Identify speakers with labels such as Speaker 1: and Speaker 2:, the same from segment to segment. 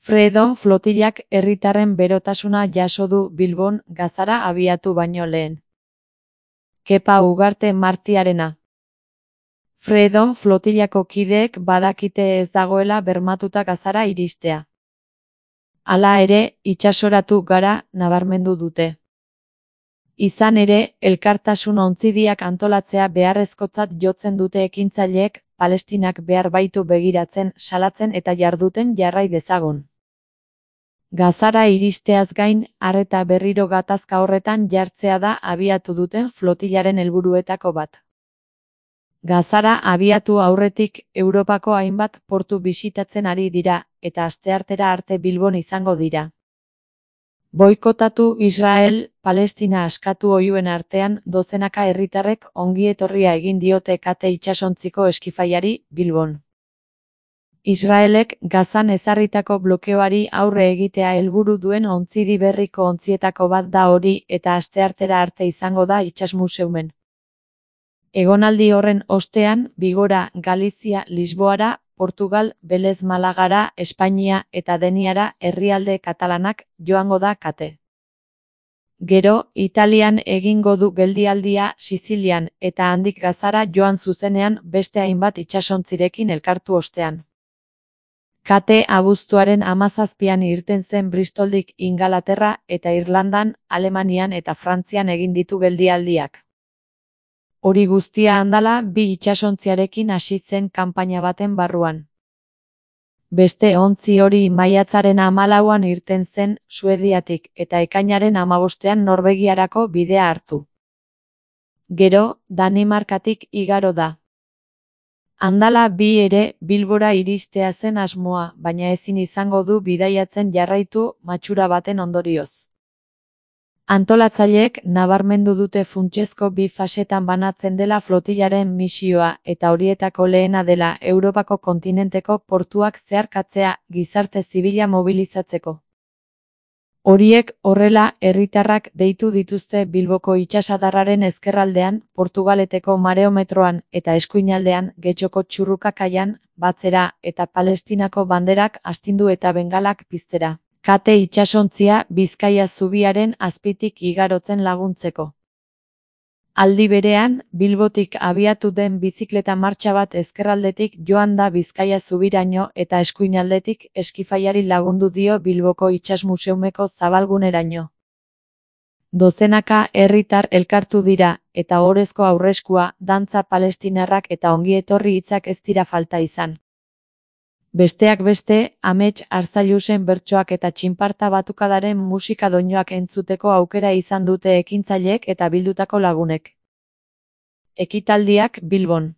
Speaker 1: Freedom flotillak herritarren berotasuna jaso du Bilbon Gazara abiatu baino lehen. Kepa Ugarte Martiarena. Freedom flotillako kideek badakite ez dagoela bermatuta Gazara iristea. Hala ere, itsasoratu gara nabarmendu dute. Izan ere, elkartasun ontzidiak antolatzea beharrezkotzat jotzen dute ekintzaileek, Palestinak behar baitu begiratzen, salatzen eta jarduten jarrai dezagun. Gazara iristeaz gain, arreta berriro gatazka horretan jartzea da abiatu duten flotillaren helburuetako bat. Gazara abiatu aurretik Europako hainbat portu bisitatzen ari dira, eta asteartera arte Bilbon izango dira. Boikotatu Israel, Palestina askatu oihuen artean dozenaka herritarrek ongietorria egin diote kate itsasontziko eskifaiari Bilbon. Israelek Gazan ezarritako blokeoari aurre egitea helburu duen ontzidi berriko ontzietako bat da hori eta asteartera arte izango da itsasmuseumen. Egonaldi horren ostean, Bigora, Galizia, Lisboara, Portugal, Belez Malagara, Espainia eta Deniara herrialde katalanak joango da kate. Gero, Italian egingo du geldialdia Sizilian eta handik Gazara joan zuzenean beste hainbat itsasontzirekin elkartu ostean. Kate abuztuaren 17an irten zen Bristoldik Ingalaterra eta Irlandan, Alemanian eta Frantzian egin ditu geldialdiak. Hori guztia handala bi itsasontziarekin hasi zen kanpaina baten barruan. Beste ontzi hori maiatzaren 14an irten zen Suediatik eta ekainaren 15ean Norvegiarako bidea hartu. Gero, Danimarkatik igaro da. Handala bi ere Bilbora iristea zen asmoa, baina ezin izango du bidaiatzen jarraitu matxura baten ondorioz. Antolatzaileek nabarmendu dute funtsezko bi fasetan banatzen dela flotillaren misioa eta horietako lehena dela Europako kontinenteko portuak zeharkatzea gizarte zibila mobilizatzeko. Horiek horrela herritarrak deitu dituzte Bilboko itsasadarraren ezkerraldean, Portugaleteko mareometroan eta eskuinaldean Getxoko Txurrukakaian batzera eta Palestinako banderak astindu eta bengalak piztera. Kate itsasontzia Bizkaia zubiaren azpitik igarotzen laguntzeko. Aldi berean, Bilbotik abiatu den bizikleta martxa bat ezkerraldetik joan da Bizkaia zubiraino eta eskuinaldetik eskifaiari lagundu dio Bilboko itsasmuseumeko zabalguneraino. Dozenaka herritar elkartu dira eta ohorezko aurreskua, dantza palestinarrak eta ongietorri hitzak ez dira falta izan. Besteak beste, Amets Arzailusen bertsoak eta txinparta batukadaren musika doinuak entzuteko aukera izan dute ekintzaileek eta bildutako lagunek. Ekitaldiak Bilbon.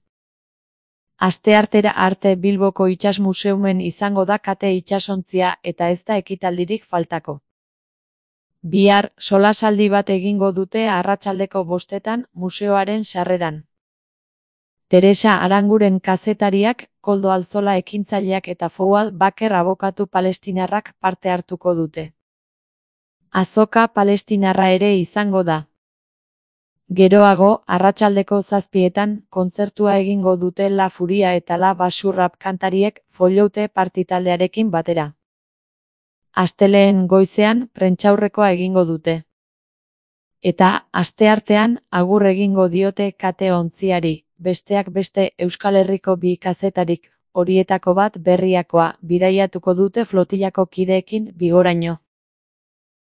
Speaker 1: Asteartera arte Bilboko itsasmuseumen izango da kate itsasontzia eta ez da ekitaldirik faltako. Bihar, solasaldi bat egingo dute arratsaldeko 5etan museoaren sarreran. Teresa Aranguren kazetariak, Koldo Alzola ekintzaileak eta Fouad Baker abokatu palestinarrak parte hartuko dute. Azoka palestinarra ere izango da. Geroago, arratsaldeko 7etan, kontzertua egingo dute La Furia eta La Basurrap kantariek Folloute partitaldearekin batera. Astelehen goizean, prentsaurrekoa egingo dute. Eta, asteartean, agur egingo diote kate ontziari. Besteak beste Euskal Herriko bi kazetarik, horietako bat Berriakoa, bidaiatuko dute flotillako kideekin Bigoraino.